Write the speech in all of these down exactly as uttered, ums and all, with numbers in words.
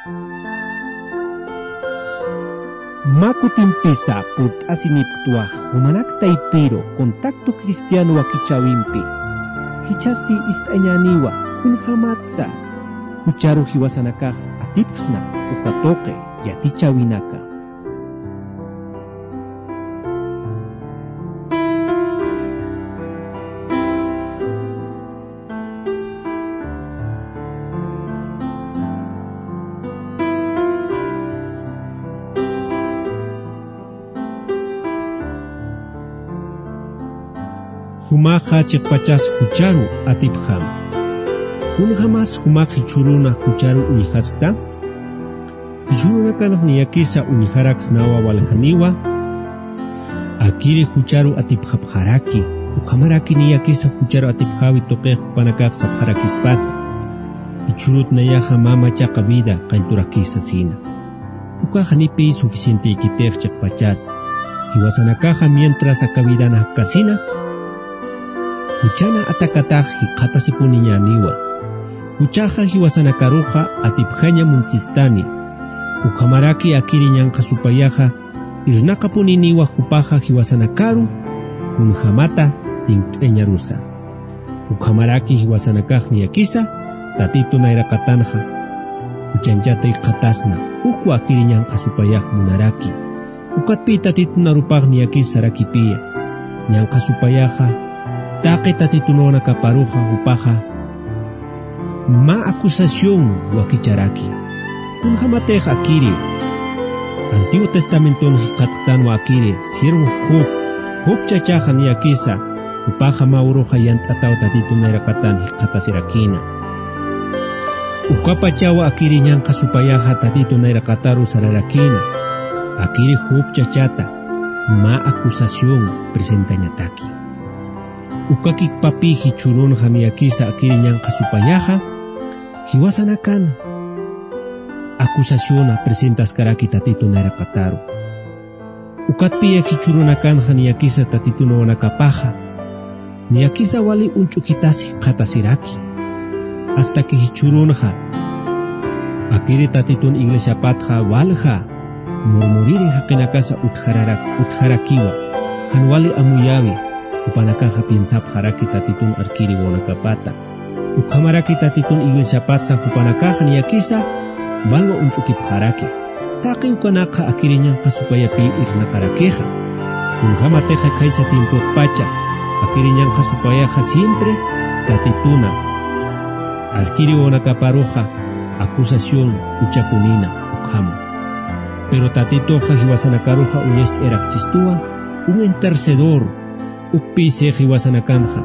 Mä kutimpisa purt'asinipktwa jumanak taypiru Contacto Cristiano wakichäwimpi. Jichhasti ist'añäniwa kunjamatsa jucharu jiwasanakax atipksna uka tuqi yatichäwinaka. Jumaxa chiqpachas jucharu atipjam. Kunjamas jumax jichhüruna jucharu uñjaskta? Jichhürunakanx niyakisa uñjaraksnawa waljaniwa, akiri jucharu atipjapxaraki, ukhamaraki niyakisa jucharu atipjäwi tuqix jupanakax sapxarakispasa. Jichhürut nayaxa mä machaqa vida qallturakï sasina. Ukax janipï suficientïkitix chiqpachas. Jiwasanakaxa mientras aka vidan japkasina, juchana atakatax jikxatasipuniñäniwa. Juchaxa jiwasanakaruxa atipjaña muntsistani. Ukhamaraki akiri ñanqha supayaxa irnaqapuniniwa jupaxa jiwasanakaru kunjamata tinkt'añarusa. Ukhamaraki jiwasanakax niyakisa Tatitu nayraqatanxa juchanchata jikxatasna, ukwa akiri ñanqha supayax munaraki. Ukatpï Tatitun arupax niyakis sarakipiya. Ñanqha supayaxa taqi tatitunawanakaparuxa jupaxa mä acusación wakicharaki. Kunjamatix akiri Antiguo Testamenton jikxatktanwa akiri siervo Job, Job chachaxa niyakisa, jupaxa mä uruxa yant'ataw Tatitun nayraqatan jikxatasirakïna. Ukapachaw akiri ñanqha supayaxa Tatitun nayraqataru sararakïna. Akiri Job chachata mä acusación presentañataki. Ukakikpapï jichhürunxa niyakisa akiri ñanqha supayaxa jiwasanakan acusaciona presentaskaraki Tatitun nayraqataru. Ukatpï jichhürunakanxa niyakisa tatitunawanakapaxa niyakisa wali uñch'ukitas jikxatasiraki. Hasta que jichhürunxa akiri Tatitun iglesiapatxa walja murmuriri jaqinakasa utjararak-, utjarakiwa, jan wali amuyäwi, jupanakaxa piensapxaraki Tatitun arkiri wawanakapata. Ukhamaraki Tatitun iglesiapatsa jupanakaxa niyakisa walwa uñch'ukipxaraki. Taqi ukanakxa akiri ñanqha supayapï irnaqarakixa. Kunjamatixa khaysa tiempotpacha akiri ñanqha supayaxa siempre Tatituna arkiri wawanakaparuxa acusación uchapunina ukhama. Pero Tatituxa jiwasanakaruxa uñacht'ayarakchistuwa un intercedor, ukpï six jiwasanakanxa.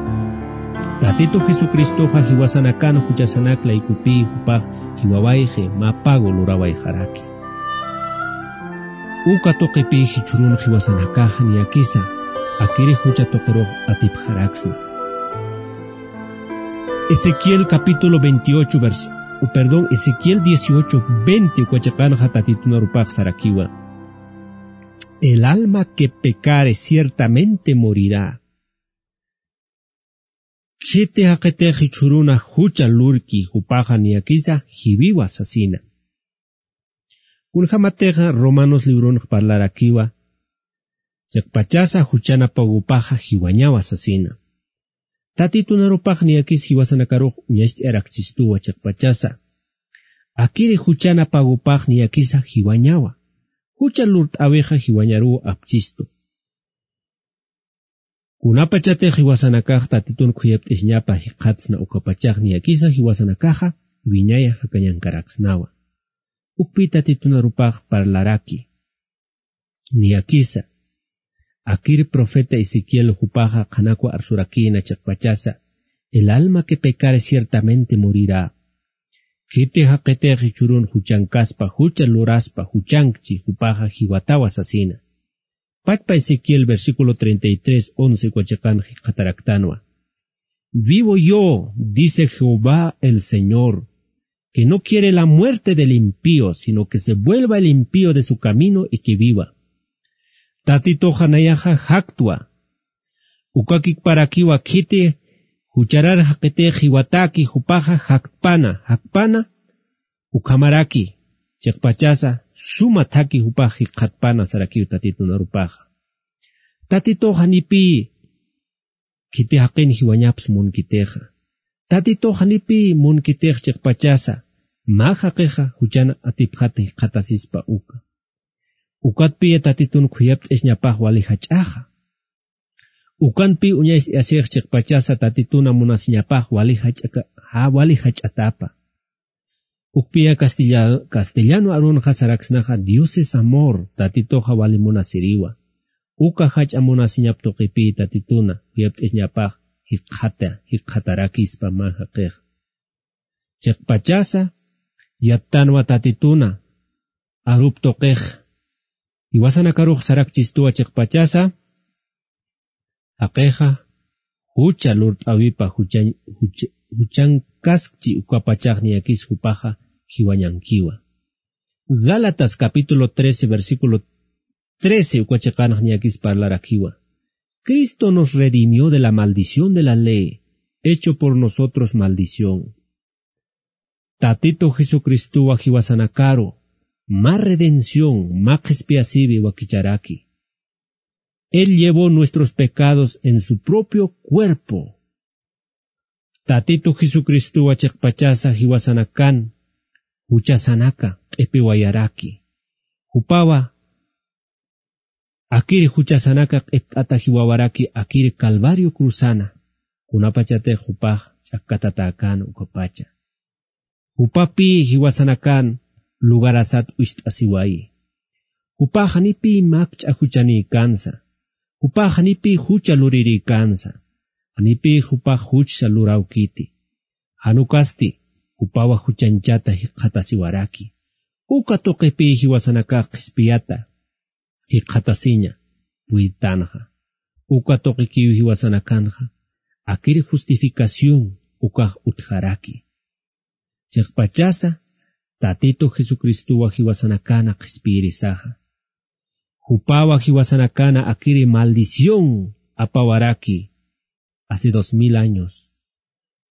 Tatitu Jesucristoxa jiwasanakan juchasanak laykupï jupax jiwawayxi mä pago lurawayxaraki. Uka tuqipï jichhürun jiwasanakaxa niyakisa akiri jucha tuqirux atipjaraksna. Ezequiel capítulo veintiocho, vers-, o perdón, Ezequiel dieciocho veinte uka chiqanxa Tatitun arupax sarakiwa: "El alma que pecare ciertamente morirá." Khiti jaqitix jichhüruna jucha lurki jupaxa niyakisa jiwiwa sasina. Kunjamatixa Romanos libronx parlarakiwa, chiqpachasa juchana pagopaxa jiwañawa sasina. Tatitun arupax niyakis jiwasanakarux uñacht'ayarakchistuwa chiqpachasa. Akiri juchana pagopax niyakisa jiwañawa. Jucha lurt'äwixa jiwañaruw apchistu. Kunapachatix jiwasanakax Tatitun khuyapt'isñapa jikxatsna ukapachax niyakisa jiwasanakaxa wiñaya jakañankaraksnawa. Ukpï Tatitun arupax parlaraki. Niyakisa. Akir profeta Ezequiel jupaxa qhanakwa arsurakïna chiqpachasa: "El alma que pecare ciertamente morirá." Khiti jaqitix jichhürun juchankaspa, jucha luraspa, juchankchi jupaxa jiwatawa sasina. Pachpa Ezequiel versículo treinta y tres once uka chiqan jikxataraktanwa: "Vivo yo, dice Jehová el Señor, que no quiere la muerte del impío, sino que se vuelva el impío de su camino y que viva." Tatituxa nayaxa jaktwa. Ukakikparakiwa khiti jucharar jaqitix jiwataki jupaxa jaktpana, jaktpana, ukhamaraki Chiqpachasa suma thaki jupax jikxatpana sarakiw Tatitun arupaxa. Tatitux janipï khiti jaqin jiwañaps munkitixa. Tatitux janipï munkitix chiqpachasa mä jaqixa juchan atipjat jikxatasispa uka. Ukatpï Tatitun khuyapt'isñapax wali jach'axa. Ukanpï uñacht'ayasix chiqpachasa Tatituna munasiñapax wali jach'aka-, ja-, wali jach'atapa. Ukpï castilla-, castellano arunxa saraksnaxa Dios es amor, Tatituxa wali munasiriwa. Uka jach'a munasiñap tuqipï Tatituna khuyapt'isñapax jikxata, jikxatarakispa mä jaqix. Chiqpachasa yattanwa Tatituna arup tuqix. Jiwasanakarux sarakchistuwa chiqpachasa jaqixa jucha lurt'äwipa juchan-, juch-, juchankaskchi ukapachax niyakis jupaxa jiwañankiwa. Gálatas capítulo trece, versículo trece, uka chiqanx niyakis parlarakiwa. Cristo nos redimió de la maldición de la ley, hecho por nosotros maldición. Tatitu Jesucristuwa jiwasanakaru mä redención, mä qhispiyasiwi wakicharaki. Él llevó nuestros pecados en su propio cuerpo. Tatitu Jesucristuwa chiqpachasa jiwasanakan juchasanaka q'ipiwayaraki. Jupawa akiri juchasanaka q'ipt'ata jiwawaraki akiri Calvario cruzana, kunapachatix jupax ch'akkatatäkän ukapacha. Jupapï jiwasanakan lugarasat ucht'asiwayi. Jupax janipï makch'a juchanïkansa. Jupax janipï jucha lurirïkansa. Janipï jupax juchsa luräwkiti. Jan ukasti jupawa juchanchata jikxatasiwaraki. Uka tuqipï jiwasanakax qhispiyata jikxatasiña puytanxa. Uka tuqikiw jiwasanakanxa akir justificación ukax utjaraki. Chiqpachasa Tatitu Jesucristuwa jiwasanakana qhispiyirisaxa. Jupawa jiwasanakana akiri maldición apawaraki hace dos mil años.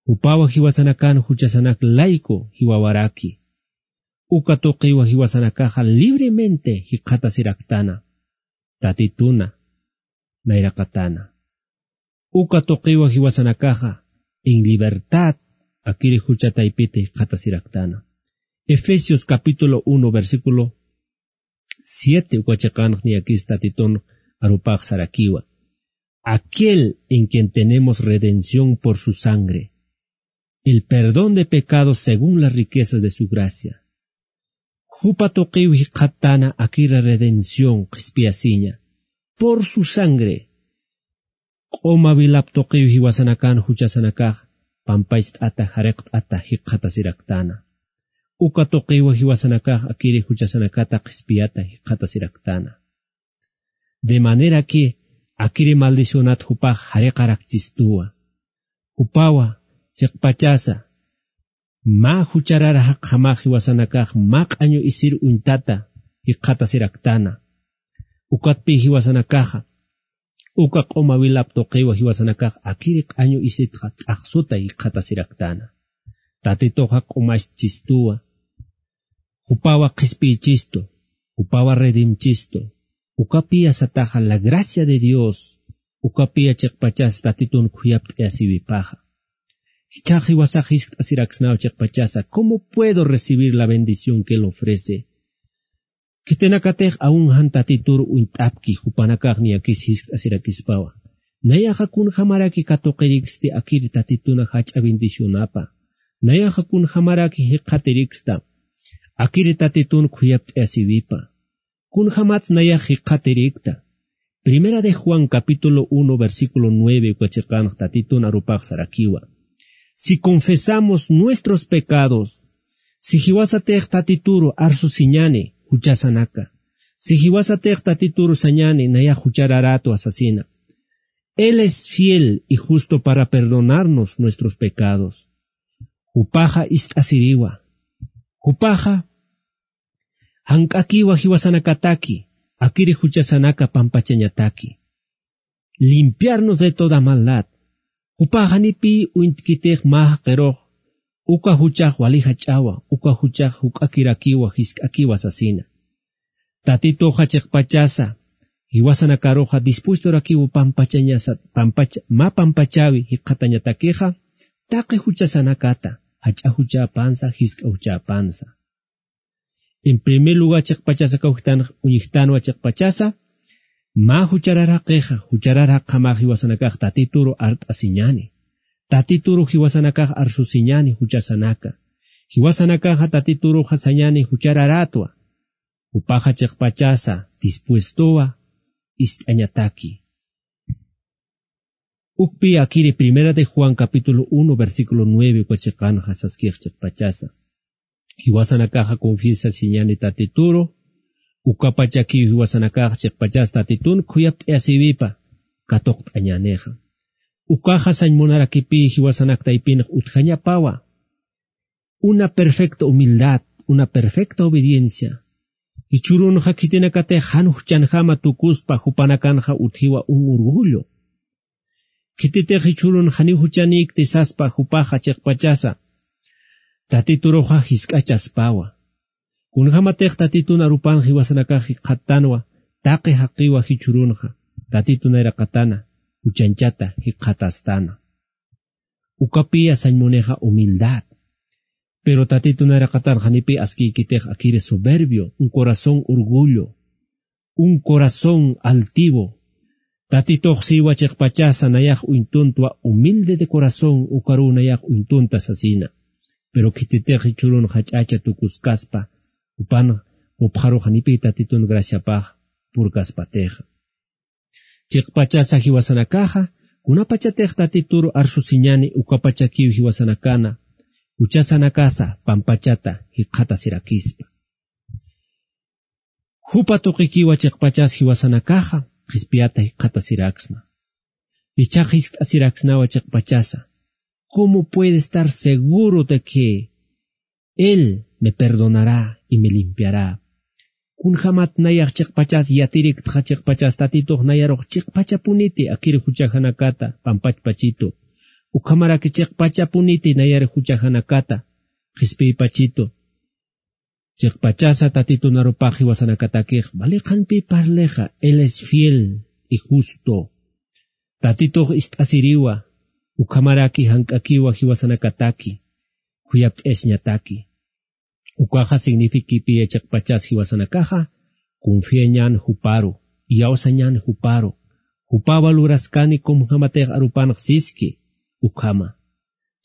Jupawa jiwasanakan juchasanak layku jiwawaraki. Uka tuqiwa jiwasanakaxa libremente jikxatasiraktana. Tatituna nayraqatana. Uka tuqiwa jiwasanakaxa en libertad akiri jucha taypiti jikxatasiraktana. Efesios capítulo uno, versículo siete, uka chiqanx niyakis Tatitun arupax sarakiwa. Aquel en quien tenemos redención por su sangre, el perdón de pecados según las riquezas de su gracia. Jupa tuqiw jikxattana akira redención qhispiyasiña. Por su sangre. Q'uma wilap tuqiw jiwasanakan juchasanakax pampayst'ata jariqt'ata jikxatasiraktana. Uka tuqiw jiwasanakax akiri juchasanakata qhispiyata jikxatasiraktana. De manera que akiri maldicionat jupax jariqarakchistuwa. Jupawa chiqpachasa mä juchararaqjamax jiwasanakax mä q'añu isir uñtata jikxatasiraktana. Ukatpï jiwasanakaxa uka q'uma wilap tuqiwa jiwasanakax akiri q'añu isitxa t'aqsuta jikxatasiraktana. Tatituxa q'umachistuwa. Jupawa qhispiychistu. Jupawa redimchistu. Ukapï asataxa la gracia de Dios. Ukapï chiqpachas Tatitun khuyapt'ayasiwipaxa. Jichhax jiwasax jiskt'asiraksnaw chiqpachasa, ¿cómo puedo recibir la bendición que él ofrece? Khitinakatix aun jan Tatitur uñt'apki jupanakax niyakis jiskt'asirakispawa. Nayaxa kunjamaraki katuqiriksti akiri Tatituna jach'a bendicionapa. Nayaxa kunjamaraki jikxatiriksta akiri Tatitun khuyapt'ayasiwipa. Kunjamats nayax jikxatirikta. Primera de Juan capítulo uno, versículo nueve, uka chiqanx Tatitun arupax sarakiwa. Si confesamos nuestros pecados, si jiwasatix Tatituru arsusiñani juchasanaka, si jiwasatix Tatituru sañani nayax juchararatu asasina, Él es fiel y justo para perdonarnos nuestros pecados. Jupaxa ist'asiriwa. Jupaxa jank'akiwa jiwasanakataki, akiri juchasanaka pampachañataki. Limpiarnos de toda maldad. Jupax janipï uñtkitix mä jaqirux Uka juchax wali jach'awa, uka juchax juk'akirakiwa, jisk'akiwa sasina. Tatituxa chiqpachasa, jiwasanakaruxa dispuestorakiwa pampachañasa, pampacha-, mä pampachäwi jikxatañatakixa, taqi juchasanakata, jach'a juchäpansa, jisk'a juchäpansa. En primer lugar, chiqpachasa kawktan, uñjtanwa chiqpachasa, mä jucharar jaqixa, jucharar jaqjamax jiwasanakax Tatituru art'asiñäni. Tatituru jiwasanakax arsusiñäni juchasanaka. Jiwasanakaxa Tatituruxa sañäni juchararätwa. Jupaxa chiqpachasa dispuestowa ist'añataki. Ukpi akiri Primera de Juan capítulo uno, versículo nueve uka chiqanxa saskix chiqpachasa. Jiwasanakaxa confiesasiñäni Tatituru, ukapachakiw jiwasanakax chiqpachas Tatitun khuyapt'ayasiwipa katuqt'añänixa. Ukaxa sañ munarakipï jiwasanak taypinx utjañapawa. Una perfecta humildad, una perfecta obediencia. Jichhürunxa khitinakatix jan juchanjama tukuspa jupanakanxa utjiwa un orgullo. Khititix jichhürun janiw juchanïkti saspa jupaxa chiqpachasa, Tatituruxa jisk'achaspawa. Kunjamatix Tatitun arupan jiwasanakax jikxattanwa, taqi jaqiwa jichhürunxa, Tatitun nayraqatana, juchanchata jikxatästana. Ukapïya sañ munixa humildad. Pero Tatitun nayraqatan janipï askïkitix akiri soberbio, un corazón orgullo, un corazón altivo. Tatitux siwa chiqpachasa nayax uñtuntwa humilde de corazón, ukaruw nayax uñtunta sasina. Pero khititix jichhürun jach'acha tukuskaspa, jupan jupxaru janipï Tatitun graciapax purkaspatixa. Chiqpachasa jiwasanakaxa, kunapachatix Tatituru arsusiñäni ukapachakiw jiwasanakana, juchasanakasa pampachata jikxatasirakispa. Jupa tuqikiwa chiqpachas jiwasanakaxa, qhispiyata jikxatasiraksna. Jichhax jiskt'asiraksnawa chiqpachasa. ¿Cómo puede estar seguro de que Él me perdonará y me limpiará? Kunjamat nayax chiqpachas yatiriktxa chiqpachas Tatitux nayarux chiqpachapuniti akiri juchajanakata pampachpachitu. Ukhamaraki chiqpachapuniti nayar juchajanakata qhispiypachitu. Chiqpachasa Tatitun arupax jiwasanakatakix, vale qhanpï parlixa, Él es fiel y justo. Tatitux ist'asiriwa, ukhamaraki jank'akiwa jiwasanakataki, khuyapt'ayasiñataki. Ukaxa signifikipiya chiqpachas jiwasanakaxa, confiañän juparu, iyawsañän juparu, jupawa luraskani kunjamatix arupanx siski, ukhama.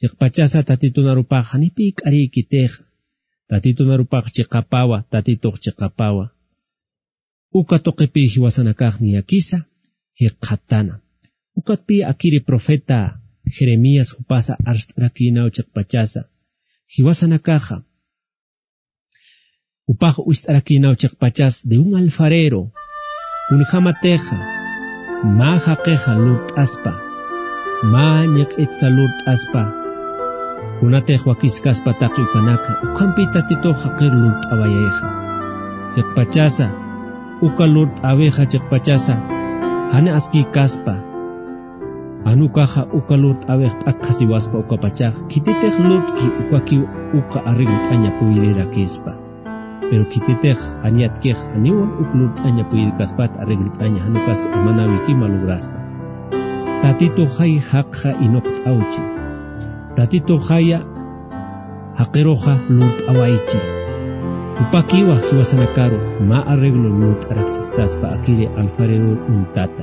Chiqpachasa Tatitun arupax janipï k'arïkitixa. Tatitun arupax chiqapawa, Tatitux chiqapawa. Uka tuqipï jiwasanakax niyakisa jikxattana. Ukatpï akiri profeta Jeremías jupasa arst'arakïnaw chiqpachasa. Jiwasanakaxa Jupax uñst'arakïnaw chiqpachas de un alfarero, kunjämatixa mä jaqixa lurt'aspa, mä ñiq'itsa lurt'aspa, kunatix wakiskaspa taqi ukanaka, ukhampï Tatitux jaqir lurt'awayayixa. Chiqpachasa, uka lurt'äwixa chiqpachasa, jani askïkaspa, jan ukaxa uka lurt'äwix p'akjasiwaspa ukapachax, khititix lurt'ki ukakiw uka arreglt'aña puyirirakispa. Pero khititix jan yatkix janiwa uk lurt'aña puyirkaspat arreglt'aña, jan ukasti imanäwikima lograspa. Tatituxay jaqxa inuqt'awchi. Tatituxaya jaqiruxa lurt'awaychi. Jupakiwa jiwasanakaru mä arreglo lurt'araksistaspa akiri alfareror uñtata.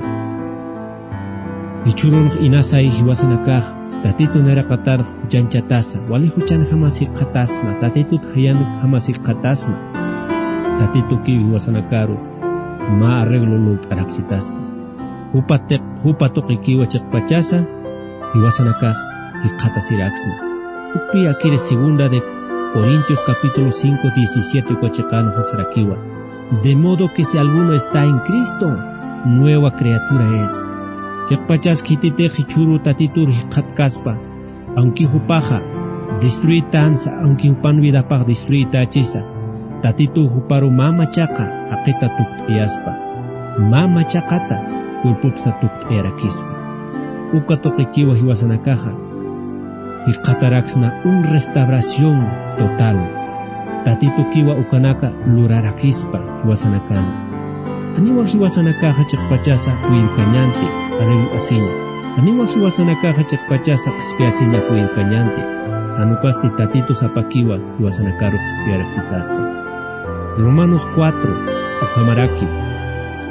Jichhürunx inasay jiwasanakax, Tatitu nayraqatarx juchanchatasa, wali juchanjamas jikxatasna, Tatitut jayanjamas jikxatasna. Tatitukiw jiwasanakaru mä arreglo lurt'araksitaspa. Jupa tiq-, jupa tuqikiwa chiqpachasa, jiwasanakax jikxatasiraksna. Ukpi akiri segunda de Corintios capítulo cinco, diecisiete uka chiqanxa sarakiwa: De modo que si alguno está en Cristo, nueva criatura es. Chiqpachas khititix jichhüru Tatitur jikxatkaspa, aunque jupaxa destruitansa, aunque jupan vidapax destruitächisa, Tatitu juparu mä machaqa jaqita tukt'ayaspa, mä machaqata cuerpopsa tukt'ayarakispa. Uka tuqikiwa jiwasanakaxa, Jikxataraksna un restauración total. Tatitukiwa ukanaka lurarakispa jiwasanakan. Janiwa jiwasanakaxa chiqpachasa puyirkañanti, aleluya asiña. Janiwa jiwasanakaxa chiqpachasa qhispiyasiña puyirkañanti. Jan ukasti Tatitus apakiwa jiwasanakaru qhispiyarakitasta. Romanos cuatro, ukhamaraki,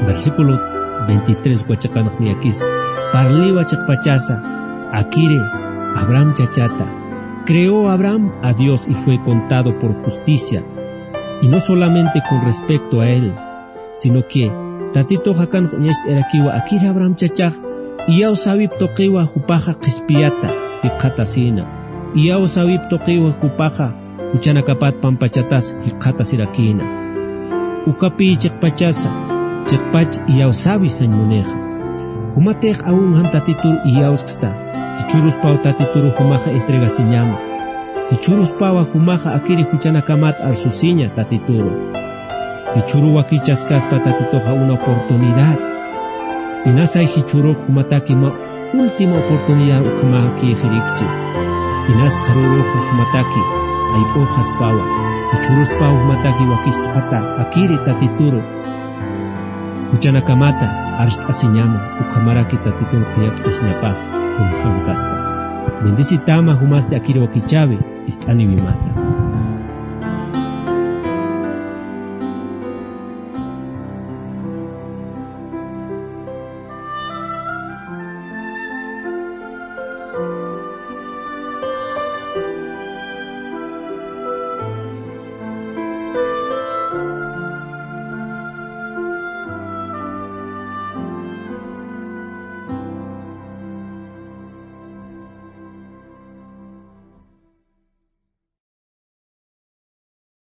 versículo veintitrés uka chiqanx niyakis, parliwa chiqpachasa, akiri Abraham chachata. Creó Abraham a Dios y fue contado por justicia, y no solamente con respecto a él, sino que Tatitux akanx uñacht'arakiwa, akiri Abraham chachax, iyaw sawip tuqiwa jupaxa qhispiyata jikxatasina, iyaw sawip tuqiwa jupaxa juchanakapat pampachatas jikxatasirakïna. Ukapï chiqpachasa, chiqpach iyawsäwi sañ munixa. Jumatix aún jan Tatituru iyawsksta, jichhüruspaw Tatituru jumaxa entregasiñama. Jichhüruspawa jumaxa akiri juchanakamat arsusiña Tatituru. Jichhüru wakichaskaspa Tatituxa una oportunidad. Inasay jichhürux jumataki mä última oportunidad ukhamäkïxirikchi. Inas qharüruxa jumataki ayp'uxaspawa, jichhüruspaw jumataki wakicht'ata akiri Tatituru juchanakamata arst'asiñama, ukhamaraki Tatitun khuyakt'asiñapax kunjämkaspa. Bendecitama jumasti akiri wakichäwi ist'aniwimata.